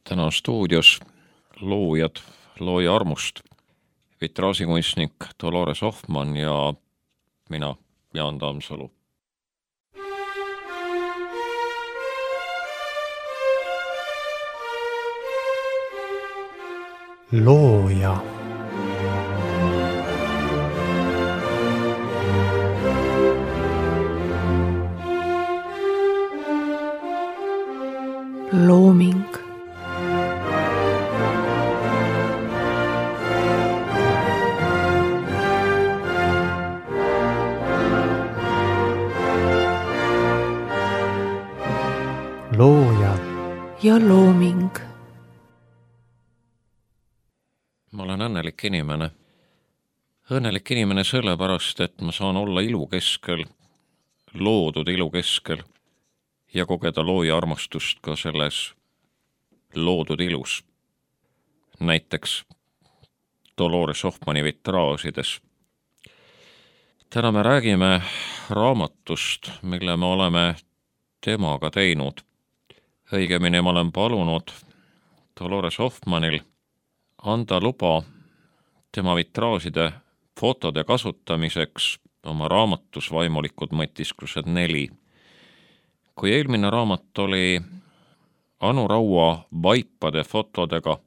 Täna on stuudios loojad looja armust, vitraasikunstnik Dolores Hoffmann ja mina, Jaan Tammsalu. Looja. Looming. Looja ja looming. Ma olen õnnelik inimene. Õnnelik inimene sellepärast, et ma saan olla ilu keskel, loodud ilu keskel ja kogeda looja armastust ka selles loodud ilus. Näiteks Dolores Hoffmanni vitraasides. Täna me räägime raamatust, mille me oleme temaga teinud. Õigemini ma olen palunud Dolores Hoffmannil anda luba tema vitraaside fotode kasutamiseks oma raamatus Vaimulikud mõtisklused 4. Kui eelmine raamat oli Anu Raua vaipade fotodega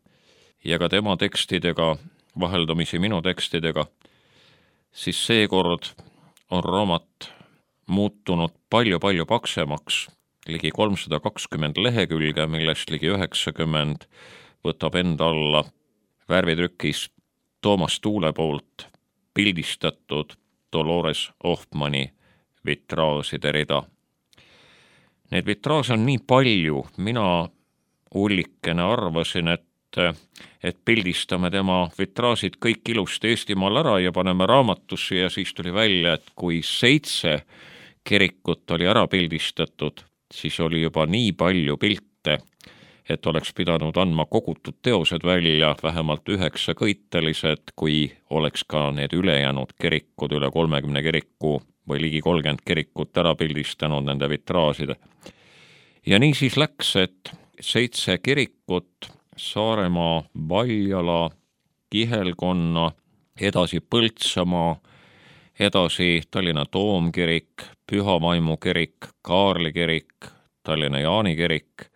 ja ka tema tekstidega, vaheldumisi minu tekstidega, siis seekord on raamat muutunud palju paksemaks, ligi 320 lehekülge, millest ligi 90 võtab enda alla värvitrükis Toomas Tuule poolt pildistatud Dolores Hoffmanni vitraaside rida. Need vitraase on nii palju, mina ullikene arvasin, et pildistame tema vitraasid kõik ilusti Eestimaal ära ja paneme raamatusse ja siis tuli välja, et kui 7 kirikut oli ära pildistatud, siis oli juba nii palju pilte, et oleks pidanud andma kogutud teosed välja, vähemalt 9 kõitelised, kui oleks ka need ülejäänud kirikud, üle 30 kiriku või ligi 30 kirikut ära pildistanud nende vitraaside. Ja nii siis läks, et 7 kirikut, Saaremaa, Valjala, Kihelkonna, edasi Põltsamaa, edasi Tallinna Toomkirik, Püha Vaimu kirik, Kaarli kirik, Tallinna Jaani kirik.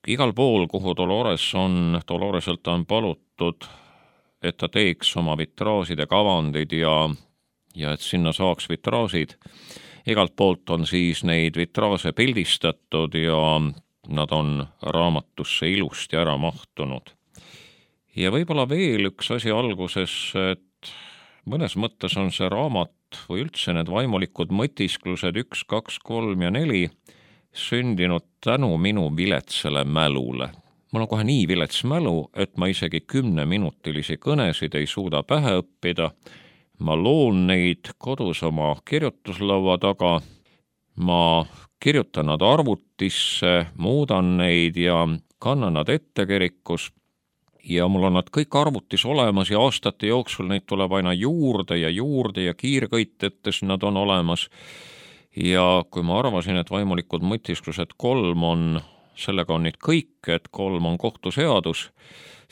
Igal pool, kuhu Doloreselt on palutud, et ta teeks oma vitraaside kavandid ja et sinna saaks vitraasid. Igalt poolt on siis neid vitraase pildistatud ja nad on raamatusse ilusti ära mahtunud. Ja võib-olla veel üks asi alguses, et mõnes mõttes on see raamat või üldse need vaimulikud mõtisklused 1, 2, 3 ja 4 sündinud tänu minu viletsale mälule. Mul on kohe nii vilets mälu, et ma isegi 10-minutilisi kõnesid ei suuda pähe õppida. Ma loon neid kodus oma kirjutuslaua taga, ma kirjutan nad arvutisse, muudan neid ja kannan nad ette kirikus ja mul on nad kõik arvutis olemas ja aastate jooksul neid tuleb aina juurde ja kiirkõitetes nad on olemas. Ja kui ma arvasin, et vaimulikud mõtisklused 3 on, sellega on nüüd kõik, et 3 on kohtuseadus,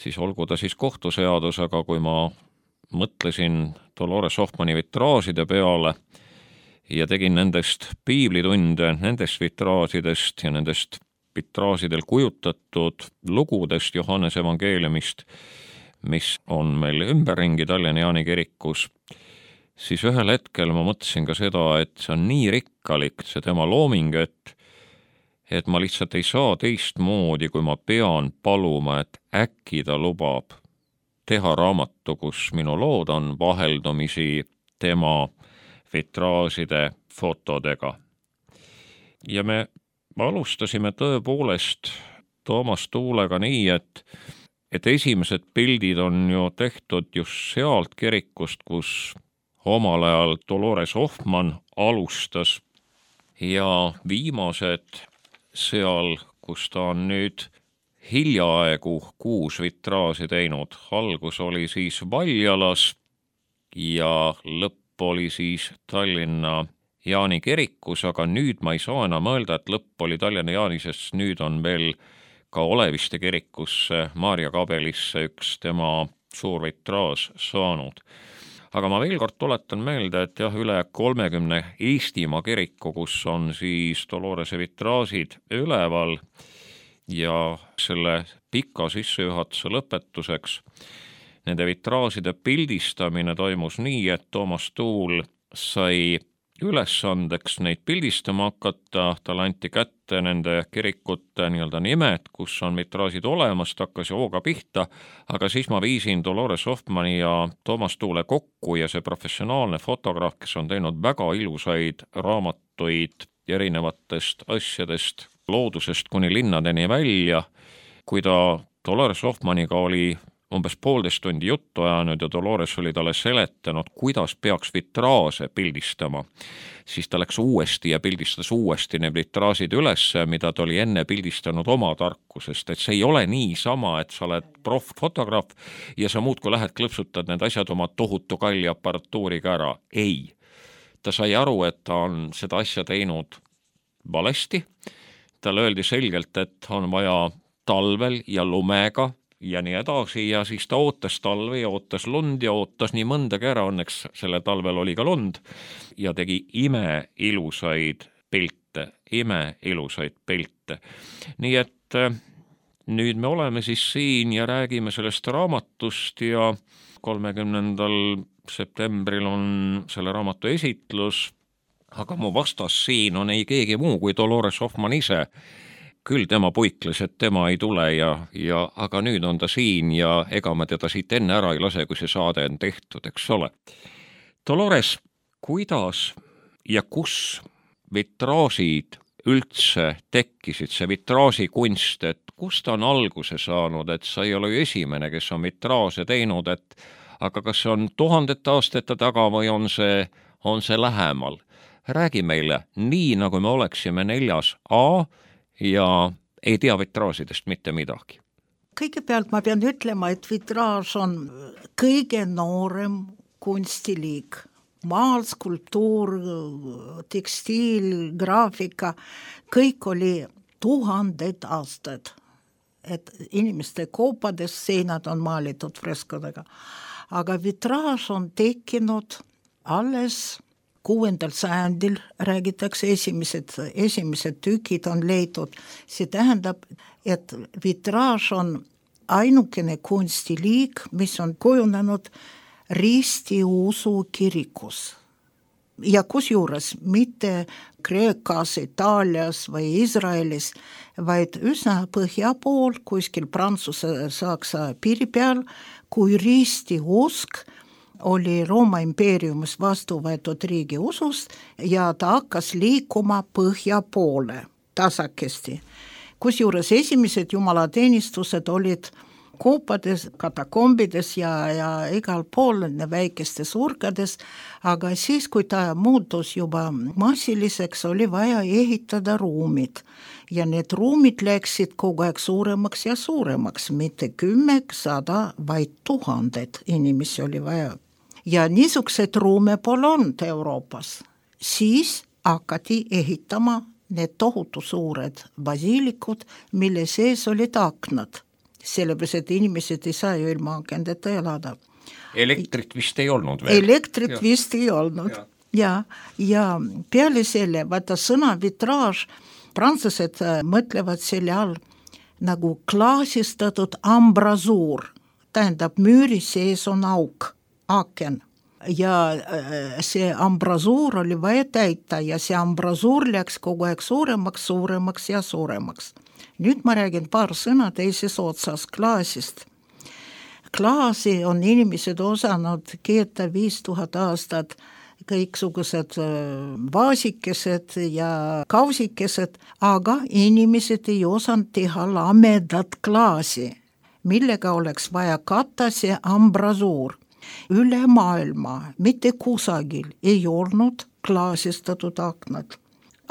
siis olgu ta siis kohtuseadus, aga kui ma mõtlesin Dolores Hoffmanni vitraaside peale ja tegin nendest piiblitunde, nendest vitraasidest ja nendest vitraasidel kujutatud lugudest Johannese evangeeliumist, mis on meil ümberringi Tallinna Jaani kirikus, siis ühel hetkel ma mõtlesin ka seda, et see on nii rikkalik, see tema looming, et ma lihtsalt ei saa teistmoodi, kui ma pean paluma, et äkki ta lubab teha raamatu, kus minu lood on vaheldumisi tema vitraaside fotodega. Ja me alustasime tõepoolest Toomas Tuulega nii, et esimesed pildid on ju tehtud just sealt kirikust, kus omal ajal Dolores Hoffmann alustas ja viimased seal, kus ta on nüüd hiljaaegu 6 vitraasi teinud. Algus oli siis Valjalas ja lõpp oli siis Tallinna Jaani kirikus, aga nüüd ma ei saa enam öelda, et lõpp oli Tallinna Jaani, sest nüüd on veel ka Oleviste kirikusse, Maarja kabelisse üks tema suur vitraaž saanud. Aga ma veel kord tuletan meelde, et jah, üle 30 Eestimaa kiriku, kus on siis Dolorese vitraažid üleval ja selle pika sissejuhatuse lõpetuseks nende vitraažide pildistamine toimus nii, et Toomas Tuul sai ülesandeks neid pildistama hakata, talle anti kätte nende kirikute nii-öelda nimed, kus on vitraažid olemas, ta hakkas hooga pihta, aga siis ma viisin Dolores Hoffmanni ja Toomas Tuule kokku ja see professionaalne fotograaf, kes on teinud väga ilusaid raamatuid erinevatest asjadest, loodusest kuni linnadeni välja, kui ta Dolores Hoffmanniga oli umbes 1,5 tundi juttu ajanud ja Dolores oli talle seletanud, kuidas peaks vitraaže pildistama. Siis ta läks uuesti ja pildistas uuesti need vitraažid üles, mida ta oli enne pildistanud oma tarkusest. Et see ei ole niisama, et sa oled proff-fotograaf ja sa muudkui lähed klõpsutad need asjad oma tohutu kalli aparatuuriga ära. Ei. Ta sai aru, et ta on seda asja teinud valesti. Talle öeldi selgelt, et on vaja talvel ja lumega ja nii edasi ja siis ta ootas talve ja ootas lund ja ootas nii mõndagi ära, õnneks selle talvel oli ka lund ja tegi imeilusaid pilte. Nii et nüüd me oleme siis siin ja räägime sellest raamatust ja 30. septembril on selle raamatu esitlus, aga mu vastas siin on ei keegi muu kui Dolores Hoffmann ise. Küll tema puikles, et tema ei tule aga nüüd on ta siin ja ega ma teda siit enne ära ei lase, kui see saade on tehtud, eks ole. Dolores, kuidas ja kus vitraažid üldse tekkisid, see vitraažikunst, et kust ta on alguse saanud, et sa ei ole ju esimene, kes on vitraaže teinud, aga kas see on 1000 aastate taga või on see lähemal? Räägi meile nii, nagu me oleksime 4A ja ei tea vitraažidest mitte midagi. Kõigepealt ma pean ütlema, et vitraaž on kõige noorem kunstiliik. Maal, skulptuur, tekstiil, graafika, kõik oli 1000 aastad. Et inimeste koopades seinad on maalitud freskodega. Aga vitraaž on tekkinud alles 6. sajandil, räägitakse, esimesed tükid on leitud. See tähendab, et vitraaž on ainukene kunstiliik, mis on kujunenud ristiusu kirikus. Ja kusjuures mitte Kreekas, Itaalias või Iisraelis, vaid üsna põhja pool, kuskil Prantsuse-Saksa piiri peal, kui ristiusk oli Rooma impeeriumis vastu võetud riigi usust ja ta hakkas liikuma põhja poole tasakesti. Kusjuures esimesed jumalateenistused olid koopades, katakombides ja igal pool väikestes urkades, aga siis, kui ta muutus juba massiliseks, oli vaja ehitada ruumid. Ja need ruumid läksid kogu aeg suuremaks ja suuremaks, mitte 10, 100, vaid 1000 inimesi oli vaja. Ja niisugused ruume pole olnud Euroopas. Siis hakati ehitama need tohutu suured basiilikud, mille sees olid aknad. Sellepärast, et inimesed ei saa ju ilma akendeta elada. Elektrit vist ei olnud veel. Elektrit vist ei olnud. Ja peale selle, vaata sõna vitraaž, prantslased mõtlevad selle all nagu klaasistatud ambrasuur. Tähendab, müüri sees on auk. Aken. Ja see ambrasuur oli vaja täita ja see ambrasuur läks kogu aeg suuremaks ja suuremaks. Nüüd ma räägin paar sõna teises otsas klaasist. Klaasi on inimesed osanud keeta 5000 aastat, kõiksugused vaasikesed ja kausikesed, aga inimesed ei osanud teha lamedat klaasi, millega oleks vaja katta see ambrasuur. Üle maailma, mitte kusagil ei olnud klaasistatud aknad.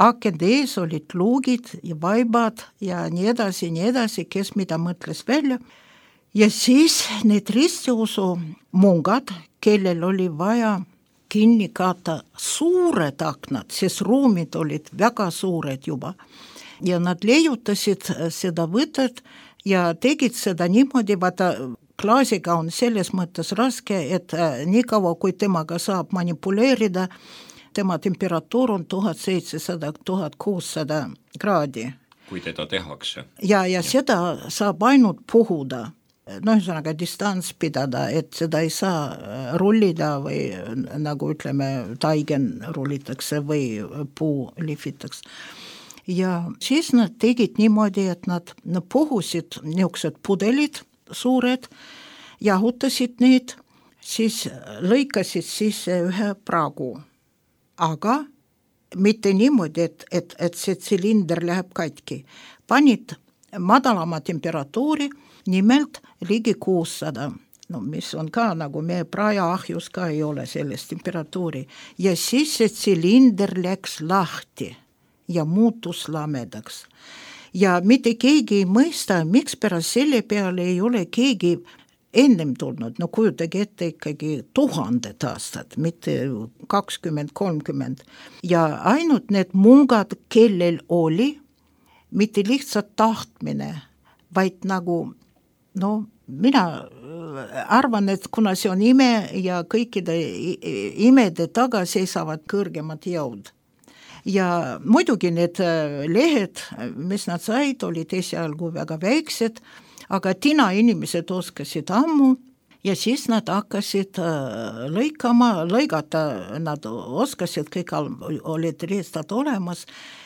Akende ees olid luugid ja vaibad ja nii edasi, kes mida mõtles välja. Ja siis need ristiusu mungad, kellel oli vaja kinni katta suured aknad, sest ruumid olid väga suured juba. ja nad leiutasid seda võtet ja tegid seda niimoodi, vaata klaasiga on selles mõttes raske, et nii kaua, kui temaga saab manipuleerida, tema temperatuur on 1700–1600 kraadi. Kui teda tehakse. Ja seda saab ainult puhuda. Ühesõnaga distants pidada, et seda ei saa rullida või nagu ütleme, taigen rullitakse või puu lihvitakse. Ja siis nad tegid niimoodi, et nad puhusid niisugused pudelid suured, jahutasid neid, siis lõikasid sisse ühe pragu. Aga mitte niimoodi, et see tsilinder läheb katki. Panid madalama temperatuuri, nimelt ligi 600, mis on ka nagu meie prajaahjus ka ei ole sellest temperatuuri. Ja siis see tsilinder läks lahti ja muutus lamedaks. Ja mitte keegi ei mõista, miks pärast selle peale ei ole keegi ennem tulnud, kujutage ette ikkagi 1000 aastat, mitte 20–30. Ja ainult need mungad, kellel oli, mitte lihtsalt tahtmine, vaid nagu, mina arvan, et kuna see on ime ja kõikide imede taga seisavad kõrgemad jõud. Ja muidugi need lehed, mis nad said, olid esialgu väga väiksed, aga tina inimesed oskasid ammu ja siis nad hakkasid lõigata, nad oskasid, kõik olid riistad olemas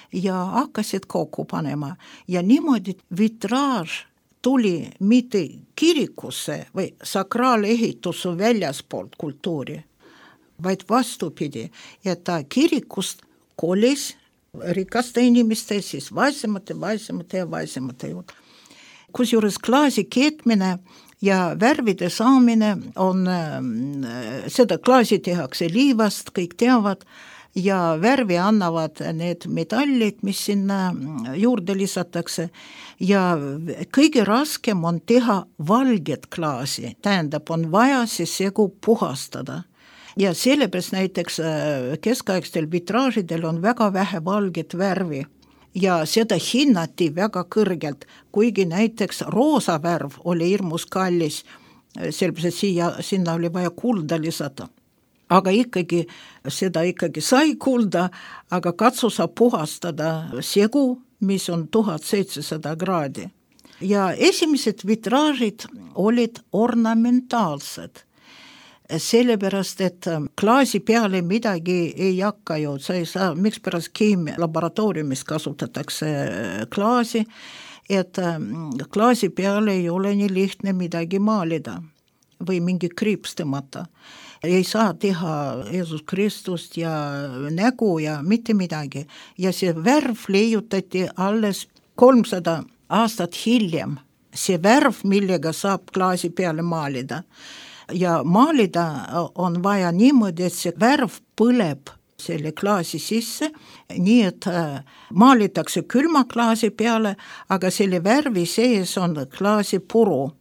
ja hakkasid kokku panema. Ja niimoodi vitraaž tuli mitte kirikusse või sakraalehitusse väljaspoolt kultuuri, vaid vastupidi, et ta kirikust kolis rikaste inimeste, siis vaesemate juurde. Kusjuures klaasi keetmine ja värvide saamine on, seda klaasi tehakse liivast, kõik teavad, ja värvi annavad need metallid, mis sinna juurde lisatakse, ja kõige raskem on teha valget klaasi, tähendab, on vaja see segu puhastada. Ja sellepärast näiteks keskaegstel vitraažidel on väga vähe valget värvi ja seda hinnati väga kõrgelt, kuigi näiteks roosa värv oli hirmus kallis, sellepärast sinna oli vaja kulda lisata. Aga ikkagi, seda ikkagi sai kulda, aga katsu sa puhastada segu, mis on 1700 kraadi. Ja esimesed vitraažid olid ornamentaalsed. Sellepärast, et klaasi peale midagi ei hakka ju, sa ei saa, miks pärast keemialaboratooriumis kasutatakse klaasi, et klaasi peale ei ole nii lihtne midagi maalida või mingi kriips tõmmata. Ei saa teha Jeesus Kristust ja nägu ja mitte midagi. Ja see värv leiutati alles 300 aastat hiljem. See värv, millega saab klaasi peale maalida. Ja maalida on vaja niimoodi, et see värv põleb selle klaasi sisse, nii et maalitakse külma klaasi peale, aga selle värvi sees on klaasi puru.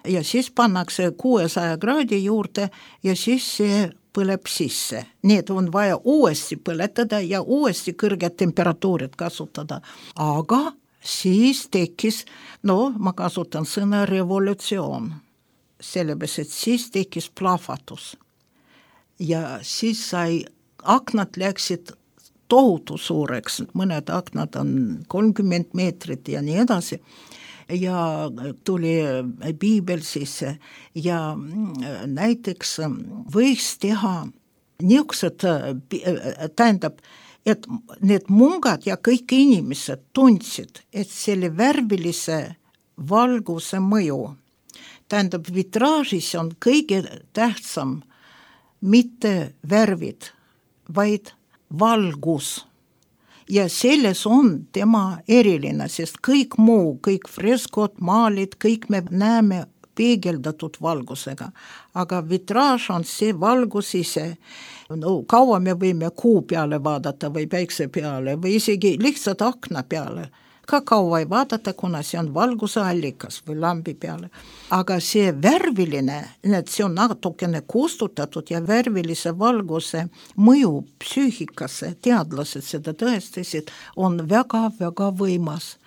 Ja siis pannakse 600 kraadi juurde ja siis see põleb sisse. Nii et on vaja uuesti põletada ja uuesti kõrged temperatuurid kasutada. Aga siis tekkis, ma kasutan sõna revolutsioon. Sellepärast, et siis tekkis plahvatus. Ja siis aknad läksid tohutu suureks, mõned aknad on 30 meetrit ja nii edasi. Ja tuli piibel sisse ja näiteks võiks teha niisugused, tähendab, et need mungad ja kõik inimesed tundsid, et selle värvilise valguse mõju, tähendab, vitraažis on kõige tähtsam mitte värvid, vaid valgus. Ja selles on tema eriline, sest kõik muu, kõik freskod, maalid, kõik me näeme peegeldatud valgusega. Aga vitraaž on see valgus ise. Kaua me võime kuu peale vaadata või päikse peale või isegi lihtsalt akna peale. ka kaua ei vaadata, kuna see on valguse allikas või lambi peale. Aga see värviline, see on natukene kustutatud ja värvilise valguse mõju psüühikasse, teadlased seda tõestasid, on väga-väga võimas.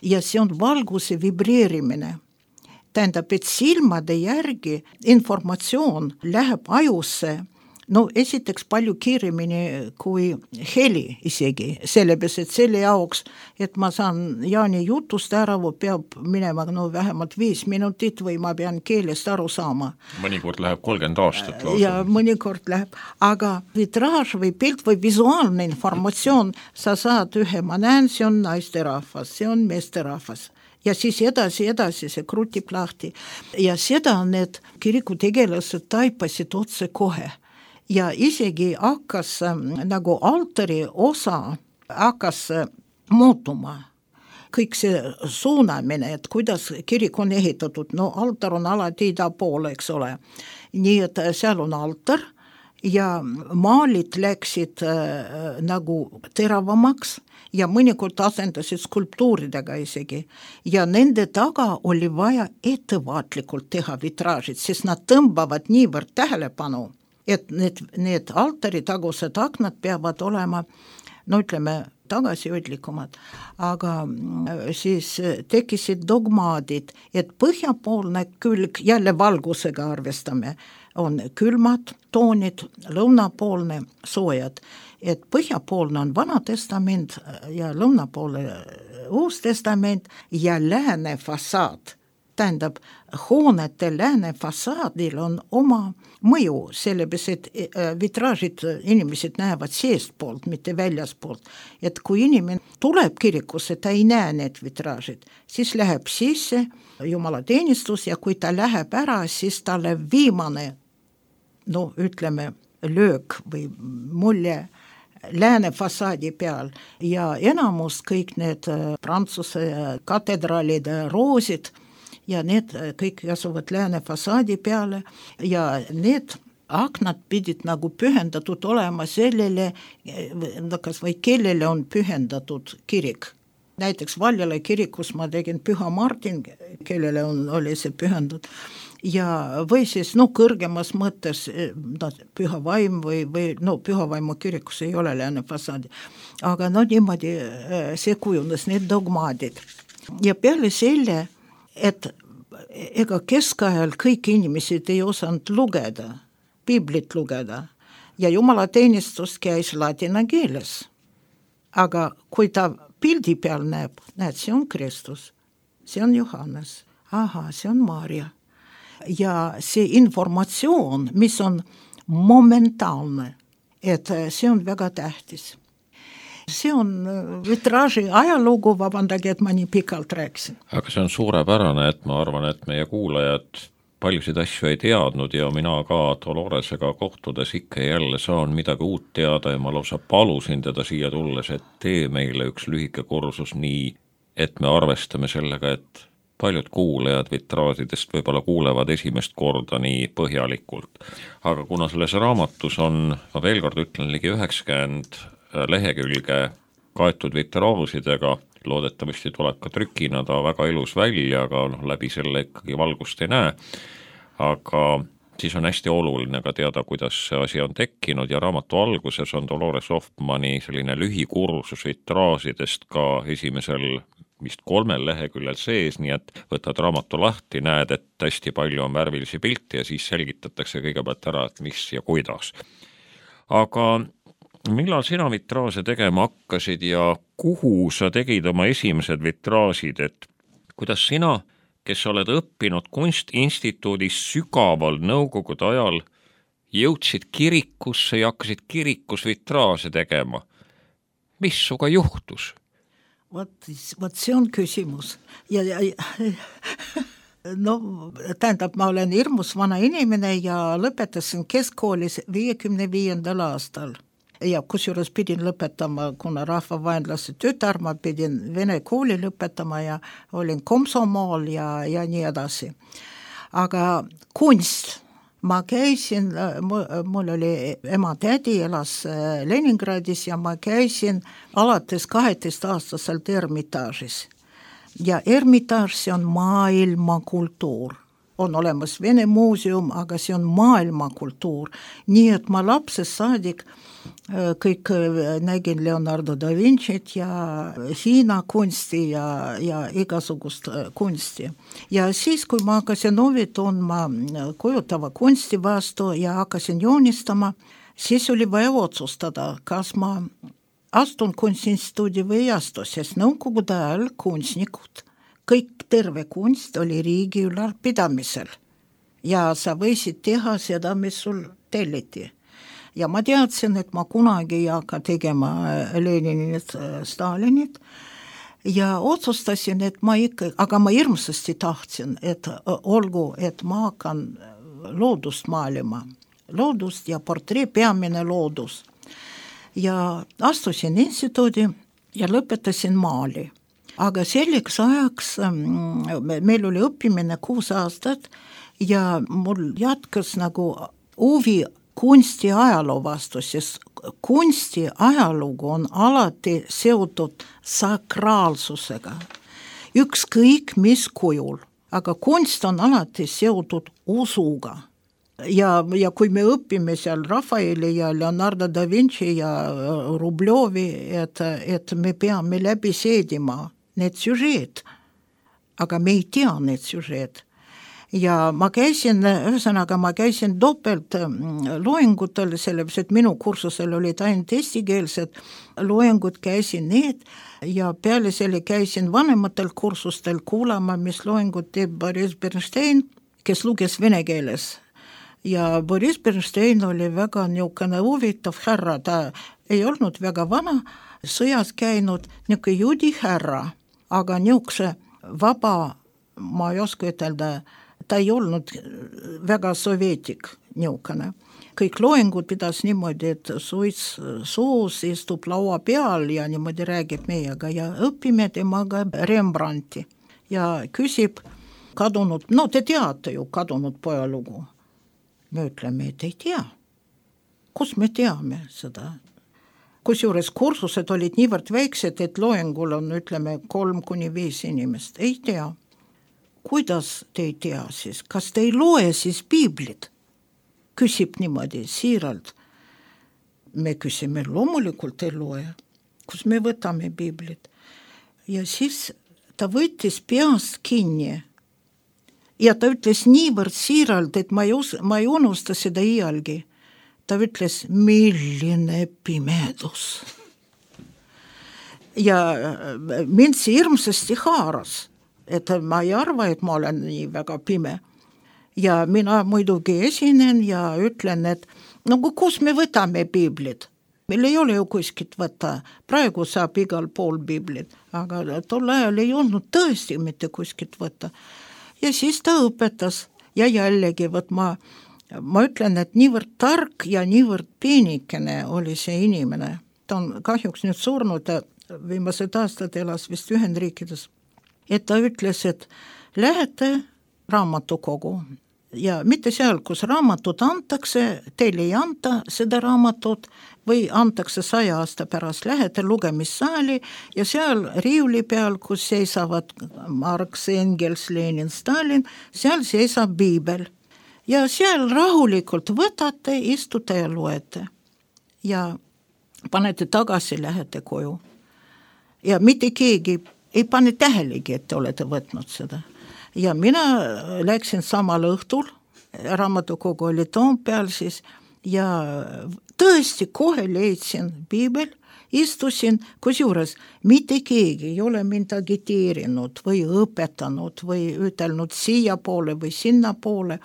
Ja see on valguse vibreerimine. Tähendab, et silmade järgi informatsioon läheb ajusse, no esiteks palju kiiremini kui heli isegi, sellepärast, et selle jaoks, et ma saan Jaani jutust ära, peab minema vähemalt 5 minutit või ma pean keelest aru saama. Mõnikord läheb 30 aastat lausa. Ja mõnikord läheb, aga vitraaž või pilt või visuaalne informatsioon, sa saad ühe, ma näen, see on naisterahvas, see on meesterahvas. Ja siis edasi see krutib lahti. Ja seda need kirikutegelased taipasid otse kohe. Ja isegi hakkas nagu altari osa hakkas muutuma. Kõik see suunamine, et kuidas kirik on ehitatud, no altar on alati ida poole, eks ole. Nii et seal on altar ja maalid läksid nagu teravamaks ja mõnikord asendasid skulptuuridega isegi. Ja nende taga oli vaja ettevaatlikult teha vitraažid, sest nad tõmbavad niivõrd tähelepanu, et need altari tagused aknad peavad olema, no ütleme, tagasihoidlikumad, aga siis tekkisid dogmaadid, et põhjapoolne külg, jälle valgusega arvestame, on külmad toonid, lõunapoolne soojad, et põhjapoolne on Vana Testament ja lõunapoolne Uus Testament ja lääne fassaad. Tähendab, hoonete lääne fassaadil on oma mõju, sellepärast, et vitraažid inimesed näevad seestpoolt, mitte väljaspoolt. Et kui inimene tuleb kirikusse, ta ei näe need vitraažid, siis läheb sisse jumalateenistus ja kui ta läheb ära, siis talle viimane, no ütleme, löök või mulje lääne fassaadi peal ja enamus kõik need Prantsuse katedraalide roosid ja need kõik asuvad lääne fassaadi peale ja need aknad pidid nagu pühendatud olema sellele, kas või kellele on pühendatud kirik. Näiteks Valjala kirikus ma tegin Püha Martin, kellele oli see pühendatud ja või siis kõrgemas mõttes Püha Vaim või Püha Vaimu kirikus ei ole lääne fassaadi, aga niimoodi see kujunes, need dogmaadid. Ja peale selle, et ega keskajal kõik inimesed ei osanud lugeda, piiblit lugeda ja jumalateenistus käis ladina keeles. Aga kui ta pildi peal näeb, see on Kristus, see on Johannes, see on Maarja. Ja see informatsioon, mis on momentaalne, et see on väga tähtis. See on vitraaži ajalugu, vabandage, et ma nii pikalt rääkisin. Aga see on suurepärane, et ma arvan, et meie kuulajad paljusid asju ei teadnud ja mina ka Doloresega kohtudes ikka jälle saan midagi uut teada ja ma lausa palusin teda siia tulles, et tee meile üks lühike kursus nii, et me arvestame sellega, et paljud kuulajad vitraažidest võib-olla kuulevad esimest korda nii põhjalikult. Aga kuna selles raamatus on, ma veel kord ütlen, ligi 90 lehekülge kaetud vitraažidega, loodetavasti tuleb ka trükina ta väga ilus välja, aga läbi selle ikkagi valgust ei näe, aga siis on hästi oluline ka teada, kuidas see asi on tekkinud ja raamatu alguses on Dolores Hoffmanni selline lühikursus vitraažidest ka esimesel vist 3 leheküljel sees, nii et võtad raamatu lahti, näed, et hästi palju on värvilisi pilte ja siis selgitatakse kõigepealt ära, et mis ja kuidas. Aga millal sina vitraaže tegema hakkasid ja kuhu sa tegid oma esimesed vitraažid, et kuidas sina, kes oled õppinud kunstinstituudis sügaval nõukogude ajal, jõudsid kirikusse ja hakkasid kirikus vitraaže tegema? Mis suga juhtus? Vot see on küsimus. Tähendab, ma olen hirmus vana inimene ja lõpetasin keskkoolis 55. aastal. Ja kusjuures pidin lõpetama, kuna rahvavaenlase tütar, ma pidin vene kooli lõpetama ja olin komsomool ja nii edasi. Aga kunst, ma käisin, mul oli ema-tädi, elas Leningradis ja ma käisin alates 12-aastaselt Ermitaažis. ja Ermitaaž, see on maailmakultuur. On olemas Vene muuseum, aga see on maailmakultuur. Nii et ma lapsest saadik kõik nägin Leonardo da Vincit ja Hiina kunsti ja igasugust kunsti. Ja siis, kui ma hakkasin huvi tundma kujutava kunsti vastu ja hakkasin joonistama, siis oli vaja otsustada, kas ma astun Kunstiinstituudi või ei astu, sest nõukogude ajal kunstnikud, kõik terve kunst oli riigi ülalpidamisel ja sa võisid teha seda, mis sul telliti. Ja ma teadsin, et ma kunagi ei hakka tegema Leninit, Stalinit ja otsustasin, et ma ikka, aga ma hirmsasti tahtsin, et olgu, et ma hakkan loodust maalima, loodust ja portree, peamine loodus. Ja astusin instituudi ja lõpetasin maali. Aga selleks ajaks meil oli õppimine 6 aastat ja mul jätkas nagu huvi kunsti ajaloo vastu, sest kunsti ajalugu on alati seotud sakraalsusega. Ükskõik mis kujul, aga kunst on alati seotud usuga. Ja kui me õpime seal Rafaeli ja Leonardo da Vinci ja Rubljovi, et me peame läbi seedima need süžeed, aga me ei tea need süžeed. Ja ma käisin topelt loengutel, sellepärast, et minu kursusel olid ainult eestikeelsed loengud, käisin need ja peale selle käisin vanematel kursustel kuulama, mis loengut teeb Boris Bernstein, kes luges vene keeles. Ja Boris Bernstein oli väga niisugune huvitav härra, ta ei olnud väga vana, sõjas käinud niisugune juudi härra, aga niisuguse vaba, ma ei oska ütelda, ta ei olnud väga sovjetik niisugune. Kõik loengud pidas niimoodi, et suits suus istub laua peal ja niimoodi räägib meiega ja õpime temaga Rembrandti ja küsib kadunud, no te teate ju kadunud poja lugu. Me ütleme, et ei tea. Kus me teame seda? Kusjuures kursused olid niivõrd väiksed, et loengul on, ütleme, 3-5 inimest. Ei tea. Kuidas te ei tea siis? Kas te ei loe siis piiblit? Küsib niimoodi siiralt. Me küsime, loomulikult ei loe. Kus me võtame piiblit? Ja siis ta võttis peast kinni. Ja ta ütles niivõrd siiralt, et ma ei unusta seda iialgi. Ta ütles, milline pimedus. Ja mind see hirmsasti haaras, et ma ei arva, et ma olen nii väga pime. Ja mina muidugi esinen ja ütlen, et no kus me võtame piiblit? Meil ei ole ju kuskilt võtta. Praegu saab igal pool piiblit, aga tol ajal ei olnud tõesti mitte kuskilt võtta. Ja siis ta õpetas ja jällegi, ma ütlen, et niivõrd tark ja niivõrd peenikene oli see inimene. Ta on kahjuks nüüd surnud, viimased aastad elas vist Ühendriikides. Et ta ütles, et lähete raamatukogu ja mitte seal, kus raamatut antakse, teil ei anta seda raamatut või antakse 100 aasta pärast, lähete lugemissaali ja seal riiuli peal, kus seisavad Marx, Engels, Lenin, Stalin, seal seisab piibel. Ja seal rahulikult võtate, istute ja loete. Ja panete tagasi, lähete koju. Ja mitte keegi ei pane tähelegi, et te olete võtnud seda. Ja mina läksin samal õhtul, raamatukogu oli Toompeal siis, ja tõesti kohe leidsin piibel, istusin, kusjuures mitte keegi ei ole mind agiteerinud või õpetanud või ütelnud siia poole või sinna poole.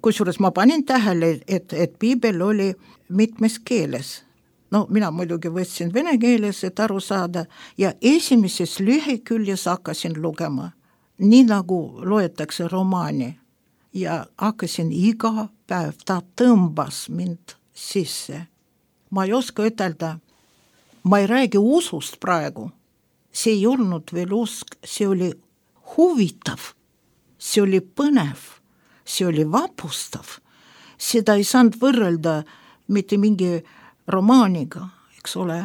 Kusjuures ma panin tähele, et piibel oli mitmes keeles. No mina muidugi võtsin vene keeles, et aru saada, ja esimeses lüheküljes hakkasin lugema, nii nagu loetakse romaani. Ja hakkasin iga päev, ta tõmbas mind sisse. Ma ei oska ütelda, ma ei räägi usust praegu. See ei olnud veel usk, see oli huvitav, see oli põnev, see oli vapustav. Seda ei saanud võrrelda mitte mingi romaaniga, eks ole.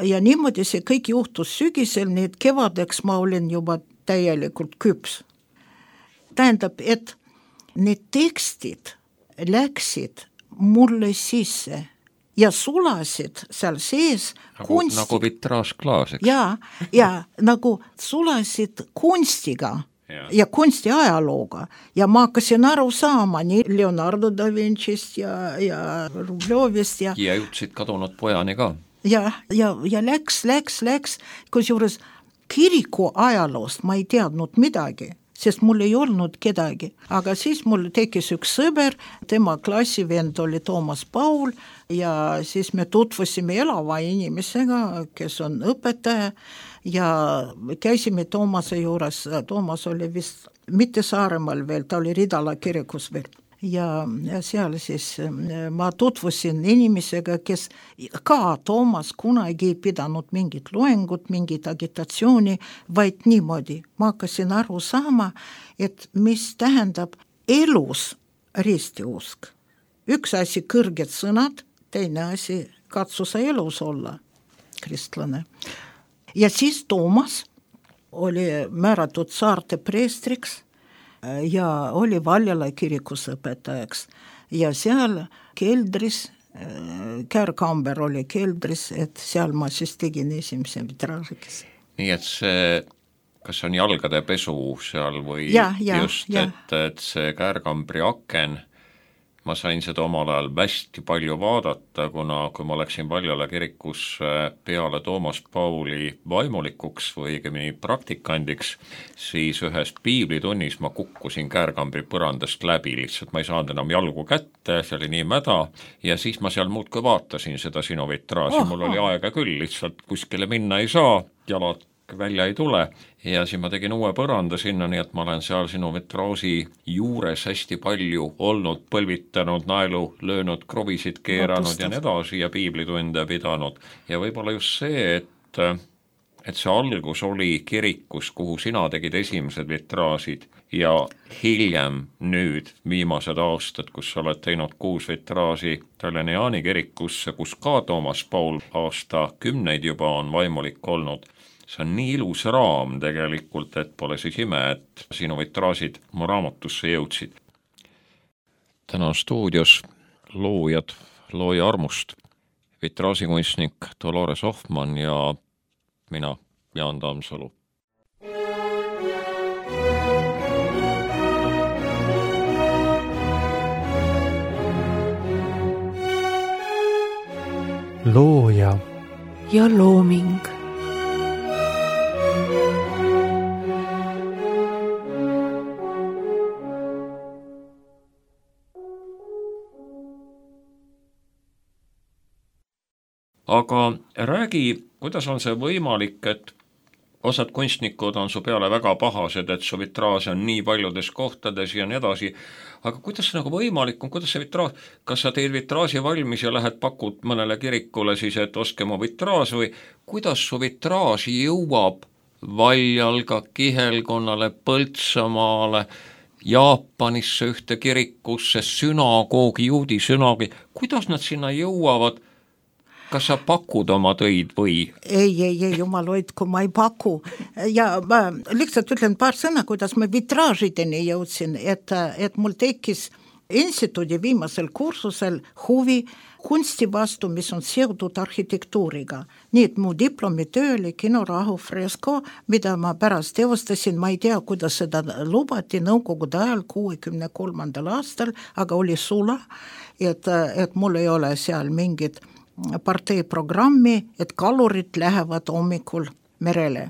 ja niimoodi see kõik juhtus sügisel, nii et kevadeks ma olin juba täielikult küps. Tähendab, et need tekstid läksid mulle sisse ja sulasid seal sees kunsti. Nagu vitraažklaas, eks? Ja nagu sulasid kunstiga ja kunsti ajalooga ja ma hakkasin aru saama nii Leonardo da Vincist ja Rublevist ja jõudsid kadunud pojani ka. Ja läks, kusjuures kiriku ajaloost ma ei teadnud midagi, sest mul ei olnud kedagi, aga siis mul tekkis üks sõber, tema klassivend oli Toomas Paul ja siis me tutvusime elava inimesega, kes on õpetaja ja käisime Toomase juures, Toomas oli vist mitte Saaremaal veel, ta oli Ridala kirikus veel. Ja seal siis ma tutvusin inimesega, kes ka Toomas kunagi ei pidanud mingit loengut, mingit agitatsiooni, vaid niimoodi. Ma hakkasin aru saama, et mis tähendab elus ristiusk. Üks asi kõrged sõnad, teine asi katsu sa elus olla, kristlane. Ja siis Toomas oli määratud saarte preestriks ja oli Valjala kirikus õpetajaks ja seal keldris, Käärkamber oli keldris, et seal ma siis tegin esimese vitraažikese. Nii et see, kas on jalgade pesu seal või et see Käärkambri aken, ma sain seda omal ajal hästi palju vaadata, kuna kui ma läksin Valjala kirikus peale Toomas Pauli vaimulikuks või õigemini praktikandiks, siis ühes piiblitunnis ma kukkusin Käärkambri põrandast läbi, lihtsalt ma ei saanud enam jalgu kätte, see oli nii mäda ja siis ma seal muudkui vaatasin seda sinu vitraaži, mul oli aega küll, lihtsalt kuskile minna ei saa, jalad välja ei tule ja siis ma tegin uue põranda sinna, nii et ma olen seal sinu vitraaži juures hästi palju olnud, põlvitanud, naelu löönud, krovisid keeranud ja nii edasi ja piiblitunde pidanud. Ja võib-olla just see, et see algus oli kirikus, kuhu sina tegid esimesed vitraažid ja hiljem nüüd viimased aastad, kus sa oled teinud 6 vitraaži Tallinna Jaani kirikusse, kus ka Toomas Paul aasta 10 juba on vaimulik olnud. See on nii ilus raam tegelikult, et pole siis ime, et sinu vitraažid mu raamatusse jõudsid. Täna on stuudios loojad Looja armust, vitraažikunstnik Dolores Hoffmann ja mina, Jaan Tammsalu. Looja ja looming. Aga räägi, kuidas on see võimalik, et osad kunstnikud on su peale väga pahased, et su vitraaž on nii paljudes kohtades ja nii edasi, aga kuidas see nagu võimalik on, kuidas see vitraaž, kas sa teed vitraaži valmis ja lähed pakud mõnele kirikule siis, et oske mu vitraaž või kuidas su vitraaž jõuab Valjalga, Kihelkonnale, Põltsamaale, Jaapanisse ühte kirikusse, sünagoogi, juudi sünagoogi, kuidas nad sinna jõuavad? Kas sa pakud oma töid või? Ei, jumal hoidku, ma ei paku. Ja ma lihtsalt ütlen paar sõna, kuidas ma vitraažideni jõudsin, et mul tekkis instituudi viimasel kursusel huvi kunsti vastu, mis on seotud arhitektuuriga. Nii et mu diplomitöö oli kinorahu fresko, mida ma pärast teostasin, ma ei tea, kuidas seda lubati Nõukogude ajal 63. aastal, aga oli sula, et mul ei ole seal mingit partei programmi, et kalurid lähevad hommikul merele.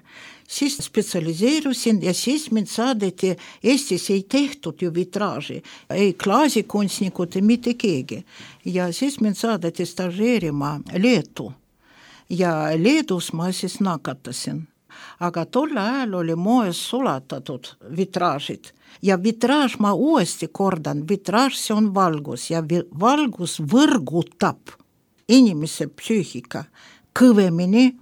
Siis spetsialiseerusin ja siis mind saadeti, Eestis ei tehtud ju vitraaži, ei klaasikunstnikud, ei mitte keegi. Ja siis mind saadeti stažeerima Leetu ja Leedus ma siis nakatasin. Aga tolle ajal oli moes sulatatud vitraažid ja vitraaž ma uuesti kordan, vitraaž see on valgus ja valgus võrgutab inimese psüühika kõvemini,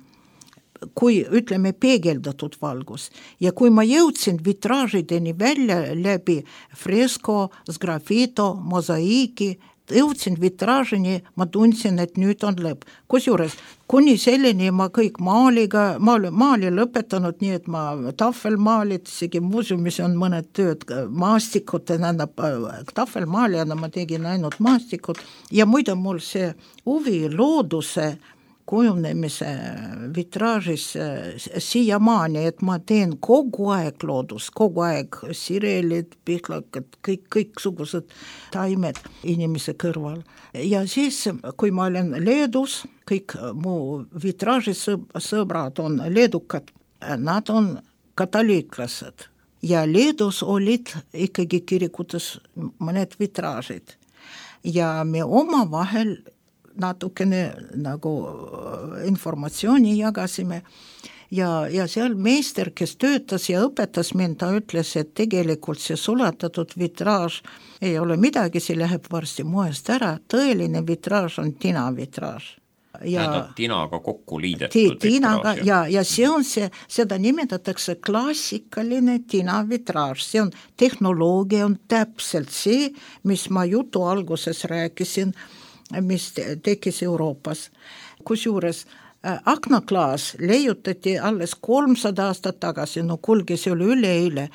kui ütleme peegeldatud valgus. Ja kui ma jõudsin vitraažideni välja läbi fresko, sgrafito, mosaiiki, jõudsin vitraažini, ma tundsin, et nüüd on lõpp. Kusjuures kuni selleni ma kõik maali lõpetanud, nii et ma tahvelmaalid, isegi muuseumis on mõned tööd, maastikud, tahvelmaalijana ma tegin ainult maastikud ja muide mul see huvi looduse kujunemise vitraažis siiamaani, et ma teen kogu aeg loodust, kogu aeg sirelid, pihlakad, kõiksugused taimed inimese kõrval. Ja siis, kui ma olen Leedus, kõik mu vitraažisõbrad on leedukad, nad on katoliiklased ja Leedus olid ikkagi kirikutes mõned vitraažid ja me omavahel natukene nagu informatsiooni jagasime ja seal meister, kes töötas ja õpetas mind, ta ütles, et tegelikult see sulatatud vitraaž ei ole midagi, see läheb varsti moest ära, tõeline vitraaž on tinavitraaž. Tinaga kokku liidetud vitraaž. Ja see on seda nimetatakse klassikaline tinavitraaž, see on tehnoloogia, on täpselt see, mis ma jutu alguses rääkisin, mis tekkis Euroopas. Kusjuures aknaklaas leiutati alles 300 aastat tagasi, kuulge, see oli üleeile,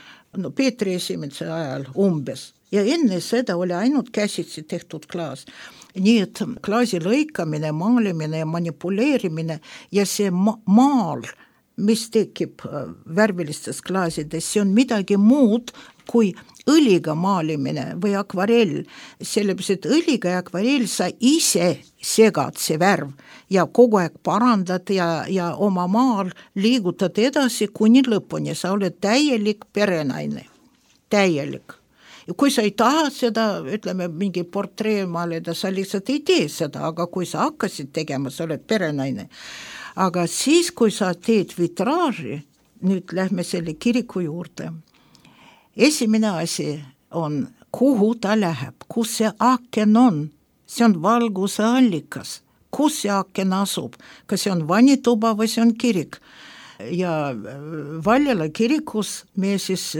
Peetri esimese ajal umbes. Ja enne seda oli ainult käsitsi tehtud klaas. Nii et klaasi lõikamine, maalimine ja manipuleerimine ja see maal, mis tekib värvilistes klaasides, see on midagi muud kui õliga maalimine või akvarell, sellepärast, et õliga ja akvarell sa ise segad see värv ja kogu aeg parandad ja oma maal liigutad edasi kuni lõpuni, sa oled täielik perenaine, täielik. Ja kui sa ei taha seda, ütleme, mingi portree maalida, sa lihtsalt ei tee seda, aga kui sa hakkasid tegema, sa oled perenaine. Aga siis, kui sa teed vitraaži, nüüd lähme selle kiriku juurde, esimene asi on, kuhu ta läheb, kus see aken on, see on valguse allikas, kus see aken asub, kas see on vanituba või see on kirik. Ja Valjala kirikus me siis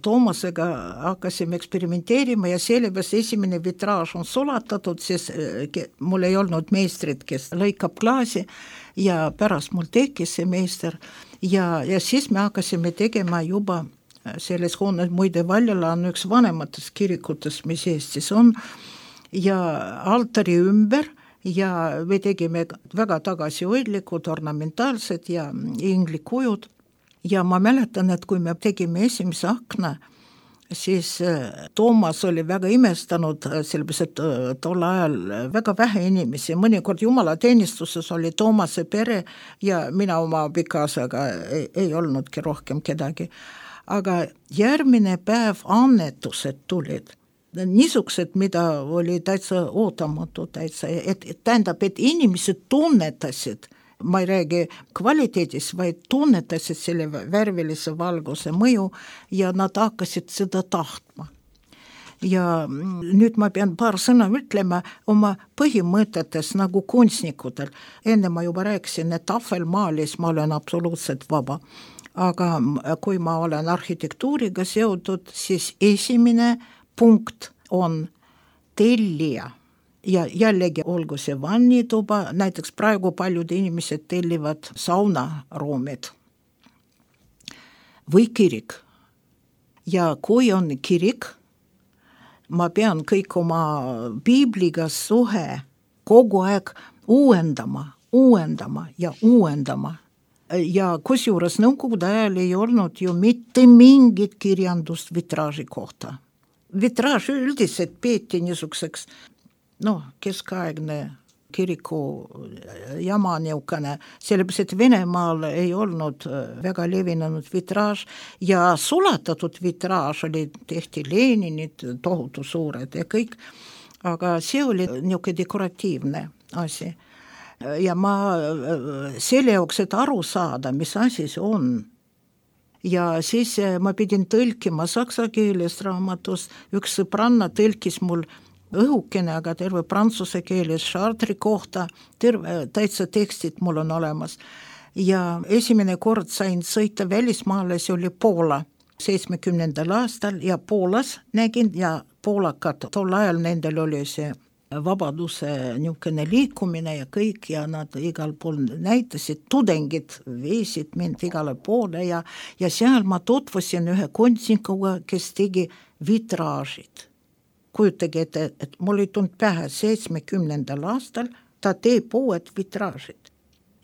Toomasega hakkasime eksperimenteerima ja sellepärast esimene vitraaž on sulatatud, siis mul ei olnud meistrit, kes lõikab klaasi ja pärast mul tekkis see meister ja siis me hakkasime tegema juba selles hoones, muide Valjala on üks vanematest kirikutest, mis Eestis on ja altari ümber ja me tegime väga tagasihoidlikud, ornamentaalsed ja inglikujud ja ma mäletan, et kui me tegime esimese akna, siis Toomas oli väga imestanud, sellepärast, et tol ajal väga vähe inimesi, mõnikord jumalateenistuses oli Toomase pere ja mina oma abikaasaga ei olnudki rohkem kedagi. Aga järgmine päev annetused tulid. Niisugused, mida oli täitsa ootamatu, tähendab, et inimesed tunnetasid, ma ei räägi kvaliteedis, vaid tunnetasid selle värvilise valguse mõju ja nad hakkasid seda tahtma. Ja nüüd ma pean paar sõna ütlema oma põhimõtetes nagu kunstnikudel. Enne ma juba rääkisin, et tahvelmaalis ma olen absoluutselt vaba. Aga kui ma olen arhitektuuriga seotud, siis esimene punkt on tellija ja jällegi olgu see vannituba, näiteks praegu paljud inimesed tellivad saunaruumid või kirik. Ja kui on kirik, ma pean kõik oma piibliga suhe kogu aeg uuendama ja uuendama. Ja kusjuures nõukogude ajal ei olnud ju mitte mingit kirjandust vitraaži kohta. Vitraaž üldiselt peeti niisuguseks, keskaegne kiriku jama niukene, sellepärast, et Venemaal ei olnud väga levinud vitraaž ja sulatatud vitraaž oli, tehti Leninid, tohutu suured ja kõik, aga see oli niuke dekoratiivne asi. Ja ma selle jaoks, et aru saada, mis asi see on. Ja siis ma pidin tõlkima saksa keelest raamatust, üks sõbranna tõlkis mul õhukene, aga terve prantsuse keeles Chartre'i kohta, täitsa tekstid mul on olemas. Ja esimene kord sain sõita välismaale, see oli Poola 70. aastal ja Poolas nägin ja poolakad, tol ajal nendel oli see vabaduse niisugune liikumine ja kõik ja nad igal pool näitasid, tudengid viisid mind igale poole ja seal ma tutvusin ühe kunstnikuga, kes tegi vitraažid. Kujutage ette, et mul ei tulnud pähe 70. aastal, ta teeb uued vitraažid.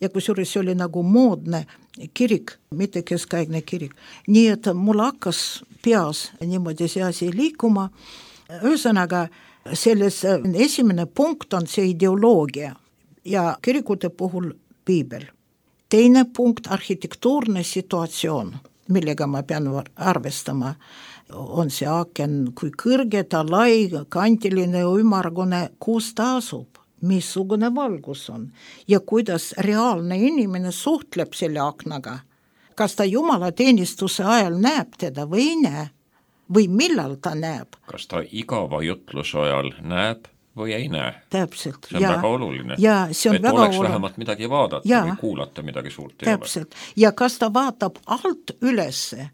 Ja kusjuures oli nagu moodne kirik, mitte keskaegne kirik. Nii et mul hakkas peas niimoodi see asi liikuma. Ühesõnaga, selles esimene punkt on see ideoloogia ja kirikute puhul piibel. Teine punkt, arhitektuurne situatsioon, millega ma pean arvestama, on see aaken, kui kõrge ta, lai, kantiline, ümargune, kus ta asub, missugune valgus on ja kuidas reaalne inimene suhtleb selle aknaga. Kas ta jumalateenistuse ajal näeb teda või ei näe? Või millal ta näeb? Kas ta igava jutluse ajal näeb või ei näe? Täpselt. See on väga oluline. Ja see on et väga oleks oluline. Vähemalt midagi vaadata või kuulata midagi suurt. Täpselt. Ja kas ta vaatab alt ülesse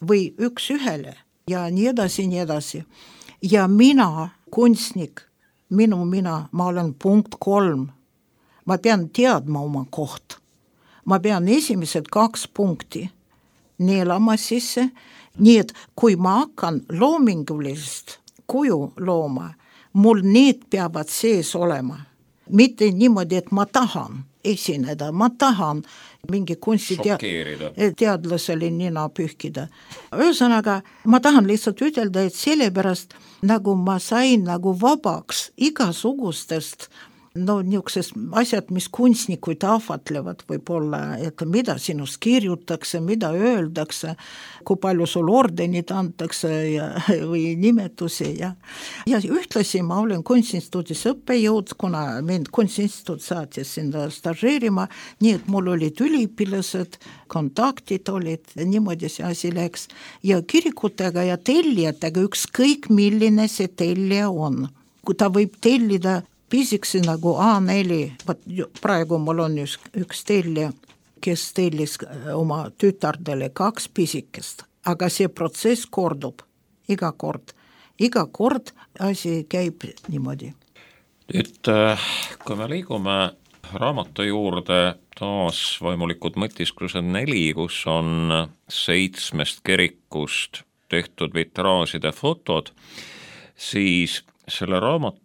või üks ühele ja nii edasi, nii edasi. Ja mina, kunstnik, ma olen punkt 3. Ma pean teadma oma koht. Ma pean esimesed 2 punkti neelama sisse, nii et kui ma hakkan loomingulist kuju looma, mul need peavad sees olema. Mitte niimoodi, et ma tahan esineda, ma tahan mingi kunstiteadlasele nina pühkida. Ühesõnaga, ma tahan lihtsalt ütelda, et sellepärast nagu ma sain nagu vabaks igasugustest niisugused asjad, mis kunstnikuid ahvatlevad võib-olla, et mida sinust kirjutakse, mida öeldakse, kui palju sul ordenid antakse või nimetusi. Ja ühtlasi ma olen kunstinstituudis õppejõud, kuna mind kunstinstituut saatis sinna stažeerima, nii et mul olid üliõpilased, kontaktid olid, niimoodi see asi läks. Ja kirikutega ja tellijatega ükskõik milline see tellija on. Kui ta võib tellida pisiksi nagu A4, praegu mul on üks tellija, kes tellis oma tütardele 2 pisikest, aga see protsess kordub iga kord asi käib niimoodi. Nüüd, kui me liigume raamatu juurde, taas vaimulikud mõtisklused 4, kus on 7 kirikust tehtud vitraažide fotod, siis selle raamatu